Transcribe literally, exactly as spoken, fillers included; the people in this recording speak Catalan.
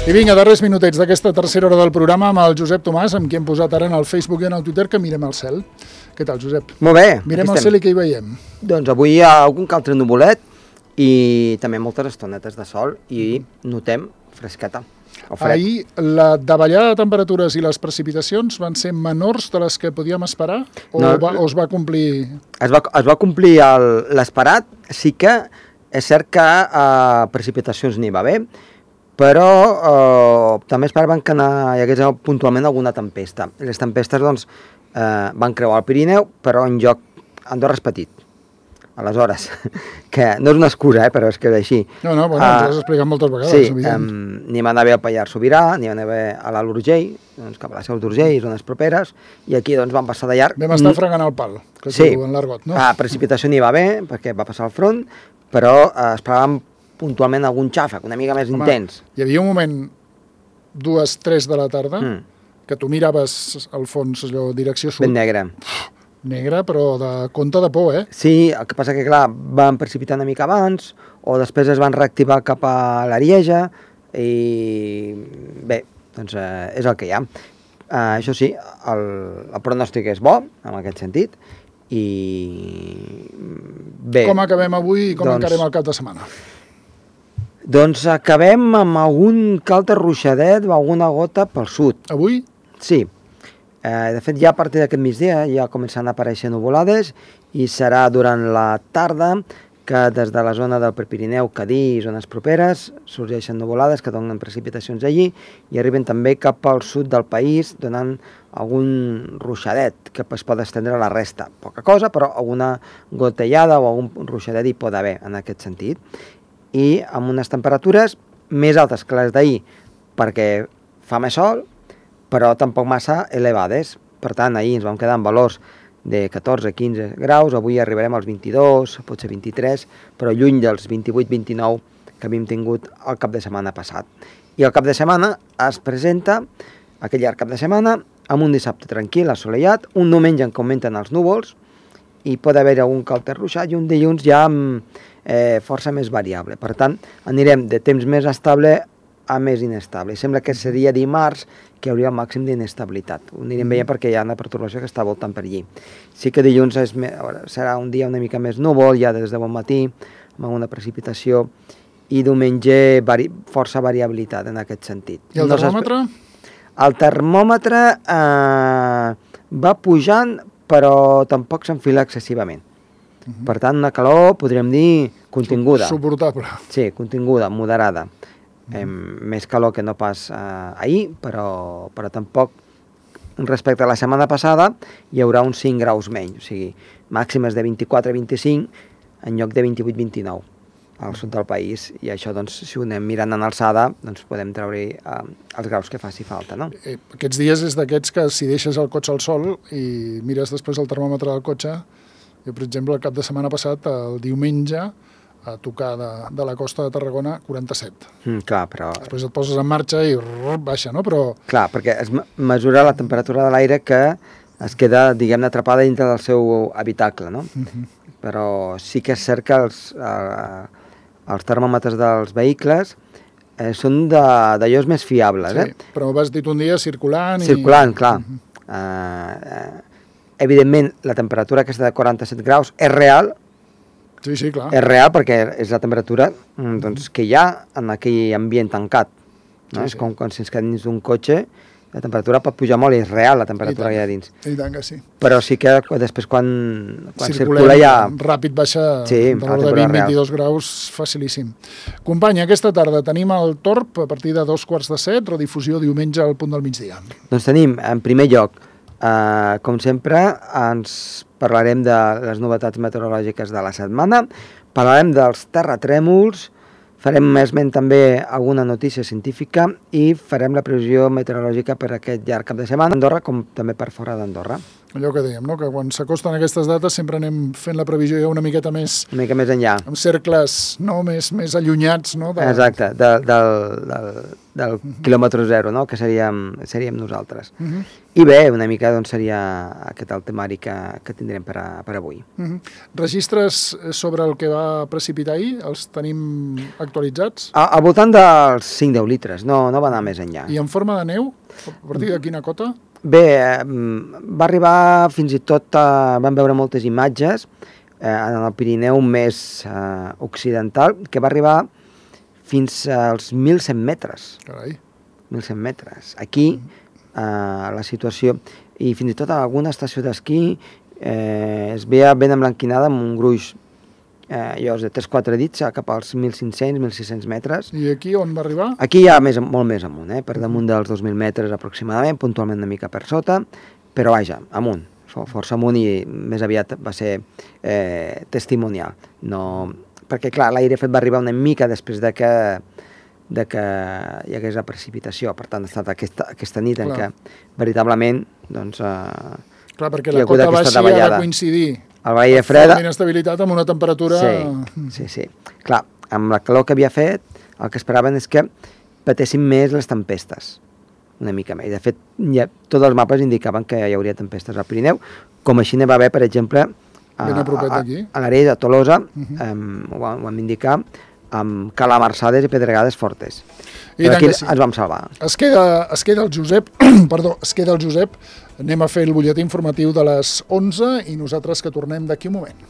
I vinga, darrers minutets d'aquesta tercera hora del programa amb el Josep Tomàs, amb qui hem posat ara en el Facebook i en el Twitter que mirem al cel. Què tal, Josep? Molt bé. Mirem al cel i què hi veiem? Doncs avui hi ha algun que altre nuvolet i també moltes estonetes de sol i notem fresqueta. Ahir la davallada de temperatures i les precipitacions van ser menors de les que podíem esperar o, no, va, o es va complir? Es va, es va complir l'esperat, sí que és cert que eh, precipitacions n'hi va haver, però eh, també esperaven que hi hagués puntualment alguna tempesta. Les tempestes doncs, eh, van creuar el Pirineu, però en lloc Andorra és petit. Aleshores, que no és una excusa, eh, però és que és així. No, no, bueno, ens ho has explicat moltes vegades. Sí, um, n'hi van haver a Pallars Sobirà, n'hi van haver a l'Alt Urgell, doncs cap a la Seu d'Urgell, zones properes, i aquí doncs van passar de llarg. Vam estar fregant el pal, que sí, diu en l'argot, no? Ah, precipitació n'hi va haver, perquè va passar al front, però eh, esperàvem puntualment algun xàfec, una mica més Home, intens. Hi havia un moment, dues, tres de la tarda, mm. que tu miraves al fons, allò, direcció sud. Ben negre. Negre, però de compte de por, eh? Sí, el que passa que, clar, van precipitar una mica abans, o després es van reactivar cap a l'Arieja, i bé, doncs eh, és el que hi ha. Uh, això sí, el, el pronòstic és bo, en aquest sentit, i bé... Com acabem avui i com doncs, encarem el cap de setmana? Doncs acabem amb algun que altre ruixadet o alguna gota pel sud. Avui? Sí. Eh, de fet, ja a partir d'aquest migdia ja començaran a aparèixer nuvolades i serà durant la tarda que des de la zona del Prepirineu, Cadí i zones properes sorgeixen nuvolades que donen precipitacions allí i arriben també cap al sud del país donant algun ruixadet que es pot estendre a la resta. Poca cosa, però alguna gotellada o algun ruixadet hi pot haver en aquest sentit. I amb unes temperatures més altes que les d'ahir perquè fa més sol, però tampoc massa elevades. Per tant, ahir ens vam quedar amb valors de catorze a quinze graus, avui arribarem als vint-i-dos, potser vint-i-tres, però lluny dels vint-i-vuit vint-i-nou que havíem tingut el cap de setmana passat. I el cap de setmana es presenta, aquell llarg cap de setmana, amb un dissabte tranquil, assolellat, un diumenge en què augmenten els núvols, i pot haver algun que altre ruixat, i un dilluns ja amb eh, força més variable. Per tant, anirem de temps més estable a més inestable. I sembla que seria dimarts que hi hauria el màxim d'inestabilitat. Ho anirem veient perquè hi ha una pertorbació que està voltant per allí. Sí que dilluns és me... serà un dia una mica més núvol, ja des de bon matí, amb una precipitació, i diumenge vari... força variabilitat en aquest sentit. I el termòmetre? No el termòmetre eh, va pujant, però tampoc s'enfila excessivament. Uh -huh. Per tant, una calor, podríem dir, continguda. Suportable. Sí, continguda, moderada. Eh, més calor que no pas eh, ahir, però, però tampoc respecte a la setmana passada hi haurà uns cinc graus menys, o sigui, màximes de vint-i-quatre a vint-i-cinc en lloc de vint-i-vuit a vint-i-nou al sud del país, i això, doncs, si ho anem mirant en alçada, doncs podem treure eh, els graus que faci falta, no? Eh, aquests dies és d'aquests que si deixes el cotxe al sol i mires després el termòmetre del cotxe, jo, per exemple, el cap de setmana passat, el diumenge, a tocar de, de la costa de Tarragona, quaranta-set. Mm, clar, però... Després et poses en marxa i rrr, baixa, no? Però... Clar, perquè es mesura la temperatura de l'aire que es queda, diguem-ne, atrapada dintre del seu habitacle, no? Uh-huh. Però sí que és cert que els, eh, els termòmetres dels vehicles eh, són d'allòs més fiables, sí, eh? Però vas dit un dia circulant i... Circulant, clar. Uh-huh. eh, eh, evidentment, la temperatura aquesta de quaranta-set graus és real. Sí, sí, clar. És real perquè és la temperatura doncs, que hi ha en aquell ambient tancat. No? Sí, és sí. Com quan si ens quedem dins d'un cotxe, la temperatura pot pujar molt i és real la temperatura que hi ha dins. I tant que sí. Però sí que després quan, quan Circulem, circula ja... ràpid baixa sí, de l'ordre de vint a vint-i-dos graus, facilíssim. Company, aquesta tarda tenim el Torb a partir de dos quarts de set, redifusió diumenge al punt del migdia. Doncs tenim, en primer lloc, Uh, com sempre, ens parlarem de les novetats meteorològiques de la setmana, parlarem dels terratrèmols, farem esment també alguna notícia científica i farem la previsió meteorològica per aquest llarg cap de setmana a Andorra com també per fora d'Andorra. Allò que dèiem, no? Que quan s'acosten aquestes dates sempre anem fent la previsió ja una miqueta més... Una mica més enllà. Amb cercles no? més, més allunyats, no? De... Exacte, de, del, del, del uh -huh. quilòmetre zero, no? Que seríem, seríem nosaltres. Uh -huh. I bé, una mica doncs, seria aquest el temari que, que tindrem per, a, per avui. Uh -huh. Registres sobre el que va precipitar ahir? Els tenim actualitzats? A, al voltant dels cinc a deu litres, no, no va anar més enllà. I en forma de neu? A partir de quina cota? Bé, eh, va arribar fins i tot, eh, vam veure moltes imatges eh, en el Pirineu més eh, occidental, que va arribar fins als mil cent metres. Carai. mil cent metres. Aquí eh, la situació, i fins i tot a alguna estació d'esquí eh, es veia ben emblanquinada amb un gruix eh, llavors de tres quatre dits cap als mil cinc-cents, mil sis-cents metres. I aquí on va arribar? Aquí ja més, molt més amunt, eh? Per damunt dels dos mil metres aproximadament, puntualment una mica per sota, però vaja, amunt, força amunt, i més aviat va ser eh, testimonial. No, perquè clar, l'aire fred va arribar una mica després de que, de que hi hagués la precipitació, per tant ha estat aquesta, aquesta nit clar. En què veritablement doncs, eh, clar, perquè la cota baixa ha de coincidir el l'aire fred... amb inestabilitat, amb una temperatura... Sí, sí, sí. Clar, amb la calor que havia fet, el que esperaven és que patessin més les tempestes, una mica més. De fet, ja, tots els mapes indicaven que hi hauria tempestes al Pirineu, com així ne va haver, per exemple, a, a, a, a l'àrea de Tolosa, uh -huh. um, ho, ho vam indicar, amb calamarsades i pedregades fortes. I però aquí sí. Ens vam salvar. Es queda, es queda el Josep, perdó, es queda el Josep. Anem a fer el butlletí informatiu de les onze i nosaltres que tornem d'aquí un moment.